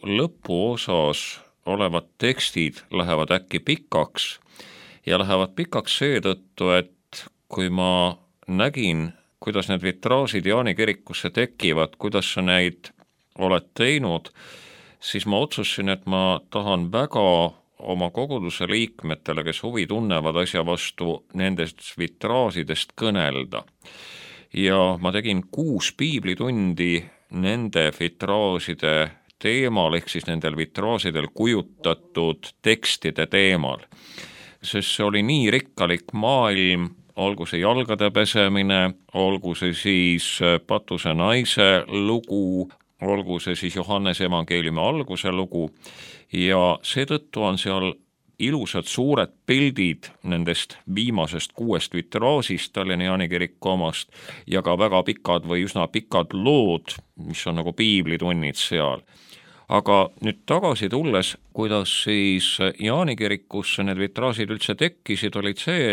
lõpuosas olevad tekstid lähevad äkki pikaks ja lähevad pikaks seetõttu, et kui ma nägin, kuidas need vitraažid Jaani kirikusse tekivad, kuidas sa neid oled teinud, siis ma otsusin, et ma tahan väga oma koguduse liikmetele, kes huvi tunnevad asja vastu, nendest vitraažidest kõnelda. Ja ma tegin 6 piiblitundi nende vitraažide teemal, ehk siis nendel vitraažidel kujutatud tekstide teemal. Sest see oli nii rikkalik maailm, olgu see jalgade pesemine, olgu see siis Patuse naise lugu, olgu see siis Johannese evangeeliumi alguse lugu ja seetõttu on seal ilusad suured pildid nendest viimasest 6 vitraažist Tallinna Jaani kiriku omast ja ka väga pikad või üsna pikad lood, mis on nagu piiblitunnid seal. Aga nüüd tagasi tulles, kuidas siis Jaani kirikusse need vitraažid üldse tekkisid, olid see,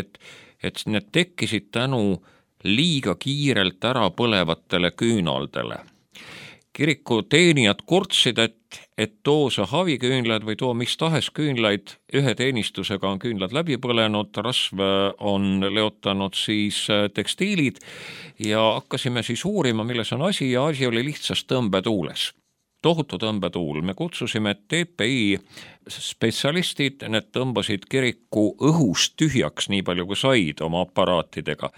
et need tekkisid tänu liiga kiirelt ära põlevatele küünaldele. Kiriku teenijad kurtsid, et too see haviküünlad või too mis tahes küünlaid, ühe teenistusega on küünlad läbi põlenud, rasv on leotanud siis tekstiilid ja hakkasime siis uurima, milles on asi ja asi oli lihtsas tõmbetuules. Tohutu tõmbetuul. Me kutsusime TPI spetsialistid, need tõmbasid kiriku õhust tühjaks nii palju kui said oma aparaatidega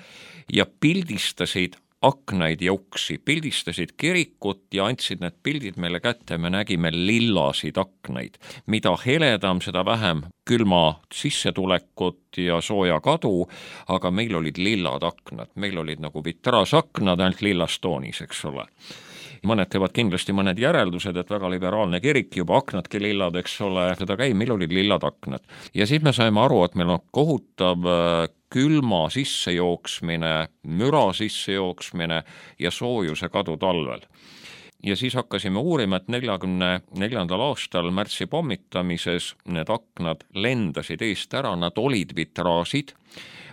ja pildistasid aknaid ja uksi, pildistasid kirikut ja andsid need pildid meile kätte, me nägime lillasid aknaid. Mida heledam, seda vähem külma sissetulekut ja sooja kadu, aga meil olid lillad aknad, meil olid nagu vitraasaknad ainult lillastoonis, eks ole. Mõned teevad kindlasti mõned järeldused, et väga liberaalne kirik, juba aknadki lillad, eks ole, seda käib, meil olid lillad aknad. Ja siis me saime aru, et meil on kohutav külma sissejooksmine, müra sissejooksmine ja soojuse kadu talvel. ja siis hakkasime uurima, et 44. aastal märtsi pommitamises need aknad lendasid eest ära, nad olid vitraažid,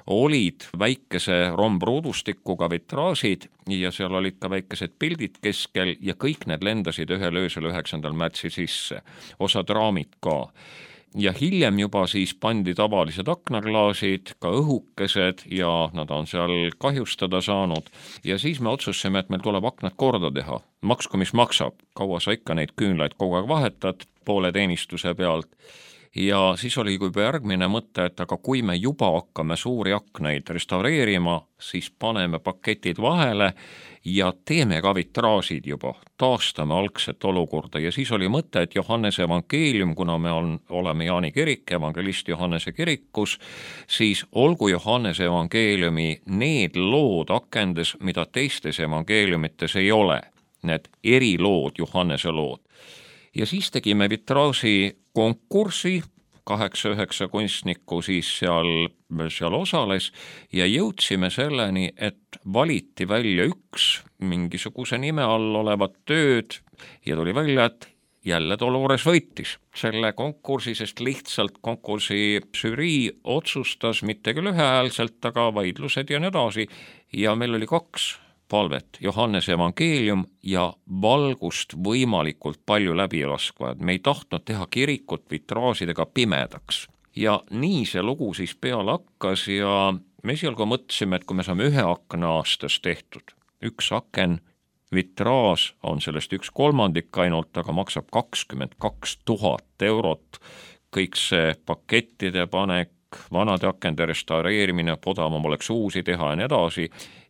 olid väikese rombruudustikuga vitraažid ja seal olid ka väikesed pildid keskel ja kõik need lendasid ühel öösel 9. märtsi sisse, osad raamid ka. Ja hiljem juba siis pandi tavalised aknaklaasid, ka õhukesed ja nad on seal kahjustada saanud. Ja siis me otsustasime, et meil tuleb aknad korda teha. Maksku mis maksab, kaua sa ikka neid küünlaid kogu aeg vahetad poole teenistuse pealt. Ja siis oli juba järgmine mõte, et aga kui me juba hakkame suuri aknaid restaureerima, siis paneme paketid vahele ja teeme ka vitraažid juba, taastame algset olukorda ja siis oli mõte, et Johannese evangeelium, kuna me oleme Jaani kirik, evangelist Johannese kirikus, siis olgu Johannese evangeeliumi need lood akendes, mida teistes evangeeliumites ei ole, need erilood, Johannese lood. Ja siis tegime vitraaži konkursi, 8-9 kunstnikku siis seal osales ja jõudsime selleni, et valiti välja üks mingisuguse nime all olevat tööd ja tuli välja, et jälle Dolores võitis selle konkursi, sest lihtsalt konkursi žürii otsustas mitte küll ühehäälselt, aga vaidlused ja nii edasi ja meil oli 2 palvet, Johannese evangeelium ja valgust võimalikult palju läbi laskva, et me ei tahtnud teha kirikut vitraažidega pimedaks. Ja nii see lugu siis peale hakkas ja me esialgu mõtlesime, et kui me saame 1 akna aastas tehtud, 1 aken, vitraaž on sellest 1/3 ainult, aga maksab 22 000 eurot, kõik see pakettide panek, vanade akende restaureerimine, odavam oleks uusi teha ja nii edasi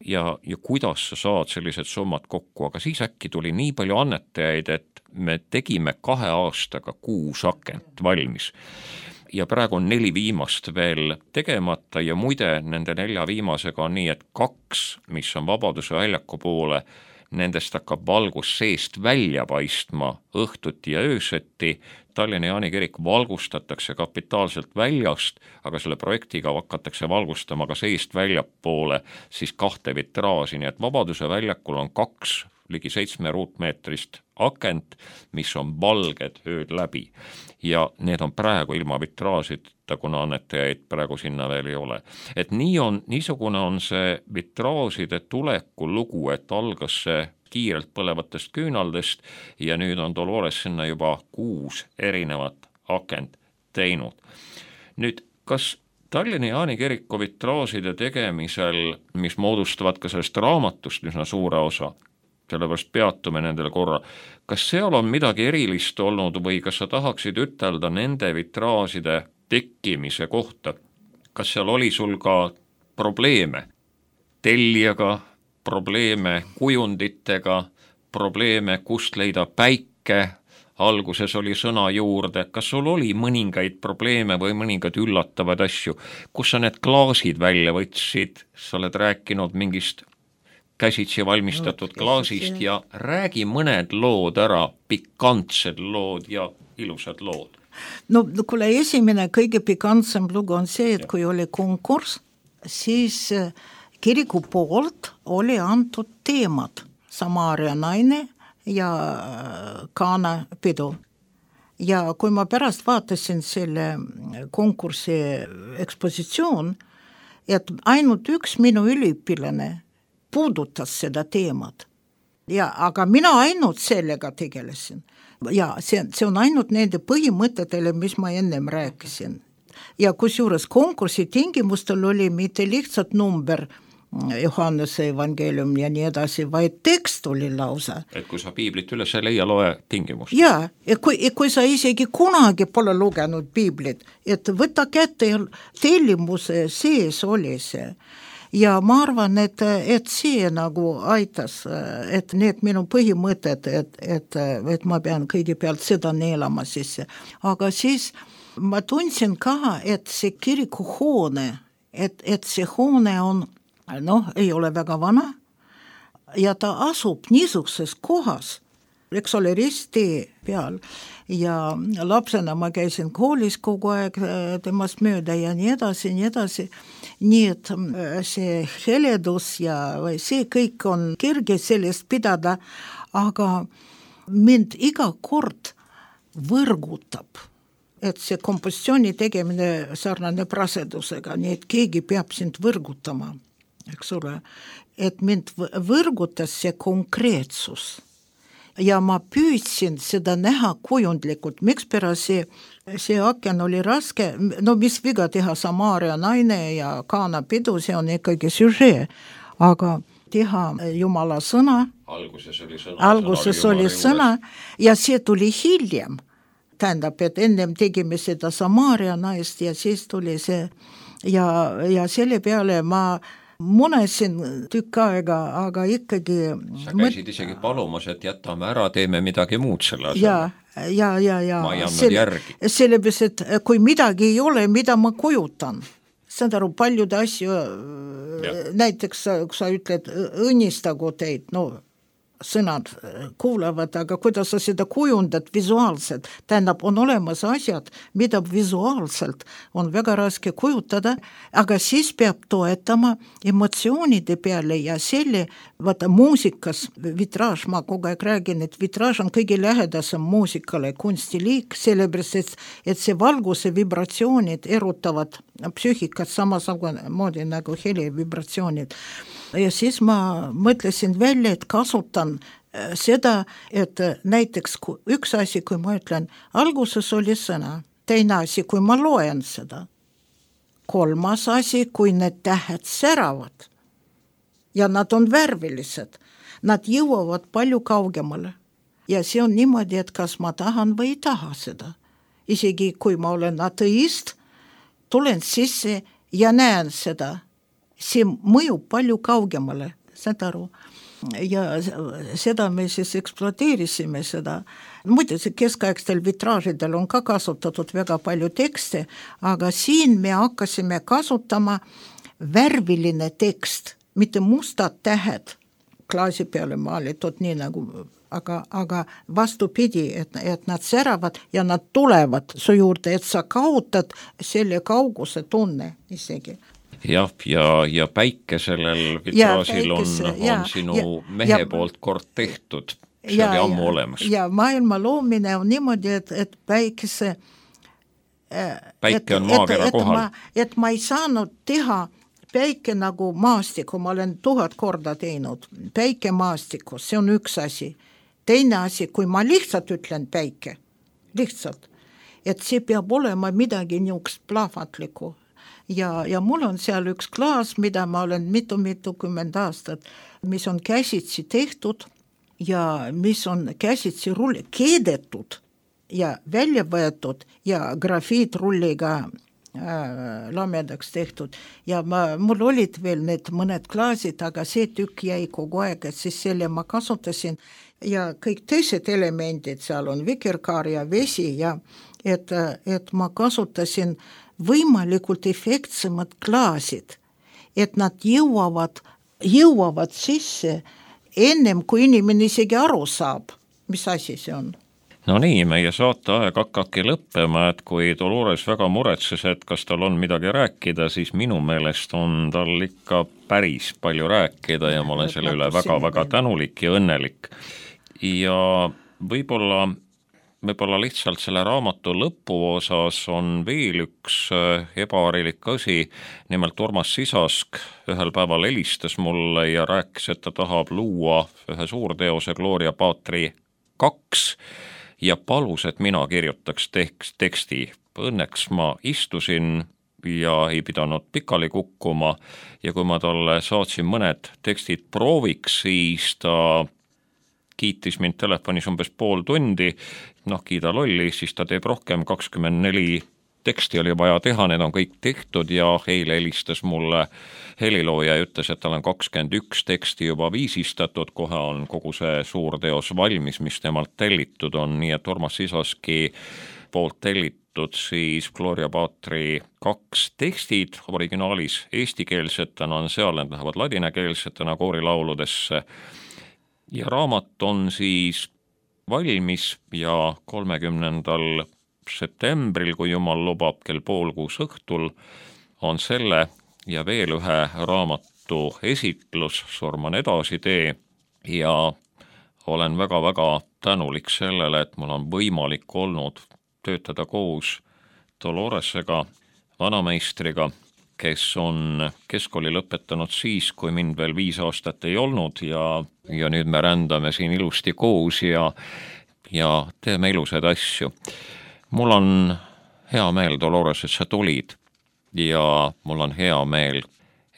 ja kuidas sa saad sellised summad kokku, aga siis äkki tuli nii palju annetajaid, et me tegime 2 aastaga 6 akent valmis. Ja praegu on 4 viimast veel tegemata ja muide nende 4 viimasega on nii, et 2, mis on Vabaduse väljaku poole, nendest hakkab valgus seest välja paistma õhtuti ja ööseti. Tallinna Jaani kirik valgustatakse kapitaalselt väljast, aga selle projektiga hakatakse valgustama ka seest väljapoole siis 2 vitraaži, nii et Vabaduse väljakul on 2 ligi 7 ruutmeetrist akent, mis on valged ööd läbi ja need on praegu ilma vitraažita, kuna annetajaid praegu sinna veel ei ole. Et niisugune on see vitraažide tuleku lugu, et algas see kiirelt põlevatest küünaldest ja nüüd on Dolores sinna juba 6 erinevat akent teinud. Nüüd, kas Tallinna Jaani kiriku vitraažide tegemisel, mis moodustavad ka sellest raamatust üsna suure osa, sellepärast peatume nendele korra, kas seal on midagi erilist olnud või kas sa tahaksid ütelda nende vitraažide tekkimise kohta? Kas seal oli sul ka probleeme tellijaga, probleeme kujunditega, probleeme kust leida päike, alguses oli sõna juurde, kas sul oli mõningaid probleeme või mõningaid üllatavaid asju, kus sa need klaasid välja võtsid, sa oled rääkinud mingist käsitsi valmistatud klaasist ja räägi mõned lood ära, pikantsed lood ja ilusad lood. No kuule, esimene kõige pikantsem lugu on see, et kui oli konkurss, siis kiriku poolt oli antud teemad, Samaaria naine ja Kaana pidu. Ja kui ma pärast vaatasin selle konkursi ekspositsioon, et ainult üks minu üliõpilane puudutas seda teemat. Ja, aga mina ainult sellega tegelesin. Ja see on ainult nende põhimõtetele, mis ma ennem rääkisin. Ja kusjuures konkursi tingimustel oli mitte lihtsalt number Johannese evangeelium ja nii edasi, vaid tekst oli lausa. Et kui sa piiblit üles ei leia, loe tingimust. Ja kui sa isegi kunagi pole lugenud piiblit, et võta kätte tellimuse sees oli see. Ja ma arvan, et see nagu aitas, et need minu põhimõtted, et ma pean kõigepealt seda neelama sisse. Aga siis ma tundsin ka, et see kirikuhoone, et see hoone on, ei ole väga vana ja ta asub niisuguses kohas, eks ole, risttee peal ja lapsena ma käisin koolis kogu aeg temast mööda ja nii edasi, nii et see heledus ja see kõik on kerge sellest pidada, aga mind iga kord võrgutab, et see kompositsiooni tegemine sarnane rasedusega, nii et keegi peab sind võrgutama, eks ole, et mind võrgutas see konkreetsus. Ja ma püüdsin seda näha kujundlikult, mikspärast see aken oli raske, no mis viga teha Samaaria naine ja Kaana pidu, see on ikkagi süžee, aga teha Jumala sõna, alguses oli sõna ja see tuli hiljem, tähendab, et ennem tegime seda Samaaria naist ja siis tuli see ja selle peale ma munesin tükk aega, aga ikkagi sa käisid isegi palumas, et jätame ära, teeme midagi muud selle asjale. Ja. Ma ei andnud järgi. Sellepärast, et kui midagi ei ole, mida ma kujutan, saad aru, paljude asju, näiteks kui sa ütled, õnnistagu teid, no sõnad kuulavad, aga kuidas sa seda kujundad visuaalselt, tähendab, on olemas asjad, mida visuaalselt on väga raske kujutada, aga siis peab toetama emotsioonide peale ja selle, vaata muusikas, vitraaž, ma kogu aeg räägin, et vitraaž on kõige lähedasem muusikale kunstiliik, sellepärast, et see valguse vibratsioonid erutavad psüühikat samamoodi nagu heli vibratsioonid. Ja siis ma mõtlesin välja, et kasutan seda, et näiteks üks asi, kui ma ütlen, alguses oli sõna, teine asi, kui ma loen seda, kolmas asi, kui need tähed säravad ja nad on värvilised, nad jõuavad palju kaugemale ja see on niimoodi, et kas ma tahan või ei taha seda. Isegi kui ma olen ateist, tulen sisse ja näen seda, see mõjub palju kaugemale, saad aru, ja seda me siis ekspluateerisime seda. Muide, keskaegstel vitraažidel on ka kasutatud väga palju tekste, aga siin me hakkasime kasutama värviline tekst, mitte mustad tähed klaasi peale maalitud nii nagu, aga vastupidi, et nad säravad ja nad tulevad su juurde, et sa kaotad selle kauguse tunne isegi. Jah, ja päike sellel vitraasil on sinu mehe poolt kord tehtud, see oli ammu olemas. Ja maailma loomine on niimoodi, et päike on maakera kohal. Et ma ei saanud teha päike nagu maastiku, ma olen 1000 korda teinud, päike maastikus, see on üks asi. Teine asi, kui ma lihtsalt ütlen päike, lihtsalt, et see peab olema midagi niisugust plahvatlikku. Ja mul on seal üks klaas, mida ma olen mitukümmend aastat, mis on käsitsi tehtud ja mis on käsitsi keedetud ja välja võetud ja grafiitrulliga lamedaks tehtud. Ja mul olid veel need mõned klaasid, aga see tükk jäi kogu aeg, et siis selle ma kasutasin ja kõik teised elemendid, seal on vikerkaar ja vesi ja et ma kasutasin võimalikult efektsemad klaasid, et nad jõuavad sisse ennem, kui inimene isegi aru saab, mis asi see on. No nii, meie saateaeg hakkabki lõppema, et kui Dolores väga muretses, et kas tal on midagi rääkida, siis minu meelest on tal ikka päris palju rääkida ja ma olen selle üle väga-väga tänulik ja õnnelik. Ja võib-olla lihtsalt selle raamatu lõpu osas on veel üks ebaharilik asi, nimelt Urmas Sisask ühel päeval helistas mulle ja rääkis, et ta tahab luua ühe suurteose Gloria Patri 2 ja palus, et mina kirjutaks teksti. Õnneks ma istusin ja ei pidanud pikali kukkuma ja kui ma talle saatsin mõned tekstid prooviks, siis ta kiitis mind telefonis umbes pool tundi, kiida lolli, siis ta teeb rohkem, 24 teksti oli vaja teha, need on kõik tehtud ja eile helistas mulle helilooja ja ütles, et tal on 21 teksti juba viisistatud, kohe on kogu see suur teos valmis, mis temalt tellitud on, nii et Urmas Sisaski poolt tellitud siis Gloria Patri 2 tekstid originaalis eestikeelsetena on seal, need lähevad ladinakeelsetena koorilauludesse. Ja raamat on siis valmis ja 30. septembril, kui jumal lubab, kell 5:30 õhtul on selle ja veel ühe raamatu esitlus Surman edasi tee ja olen väga-väga tänulik sellele, et mul on võimalik olnud töötada koos Doloresega, vanameistriga, kes on keskkooli lõpetanud siis, kui mind veel 5 aastat ei olnud ja nüüd me rändame siin ilusti koos ja teeme ilusaid asju. Mul on hea meel, Dolores, et sa tulid ja mul on hea meel,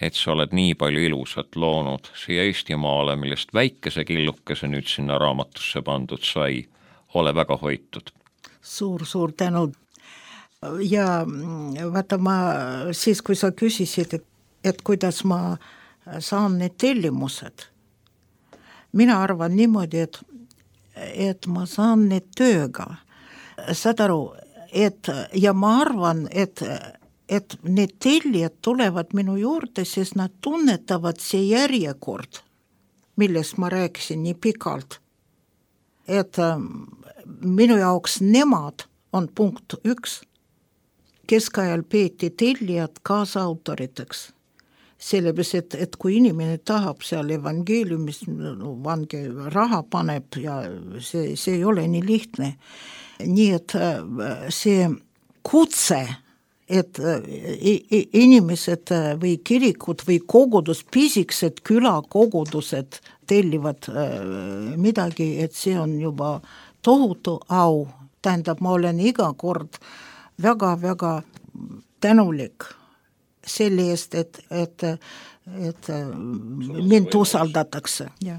et sa oled nii palju ilusat loonud siia Eestimaale, millest väikese killukese nüüd sinna raamatusse pandud sai. Ole väga hoitud. Suur tänu. Ja vaata, ma siis, kui sa küsisid, et kuidas ma saan need tellimused, mina arvan niimoodi, et ma saan need tööga. Saad aru, ja ma arvan, et need tellijad tulevad minu juurde, sest nad tunnetavad see järjekord, millest ma rääkisin nii pikalt. Et minu jaoks nemad on punkt 1. Keskajal peeti tellijad kaasautoriteks. Sellepärast, et kui inimene tahab seal evangeeliumis vange raha paneb ja see ei ole nii lihtne. Nii et see kutse, et inimesed või kirikud või kogudus, pisikesed külakogudused tellivad midagi, et see on juba tohutu au. Tähendab, ma olen iga kord väga-väga tänulik selle eest, et mind usaldatakse. Ja.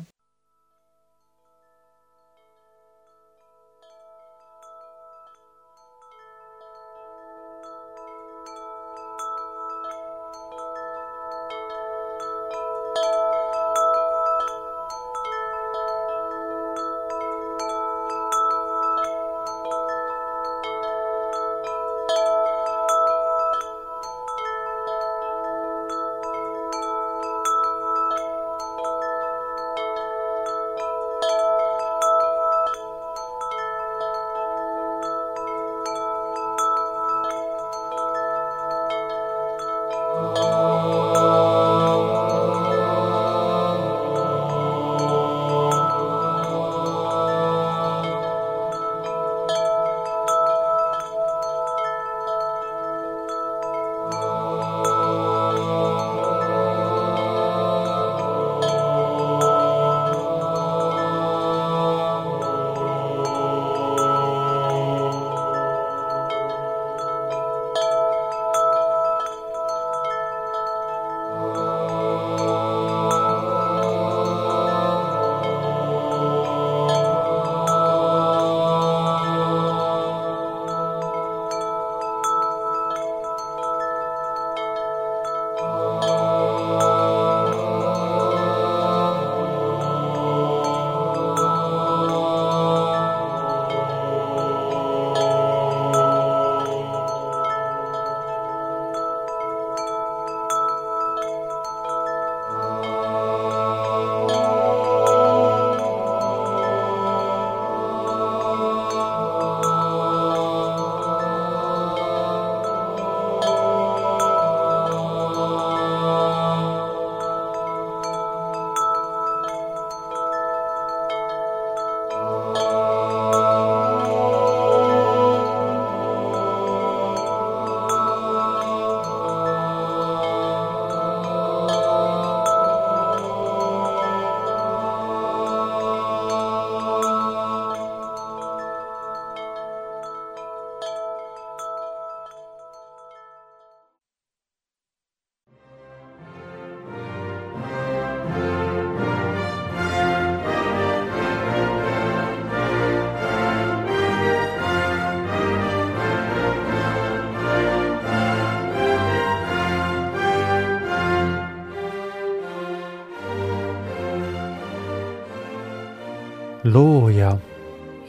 looja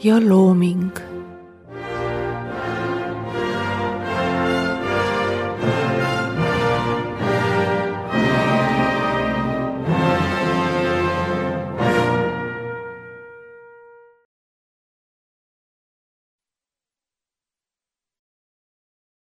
ja looming.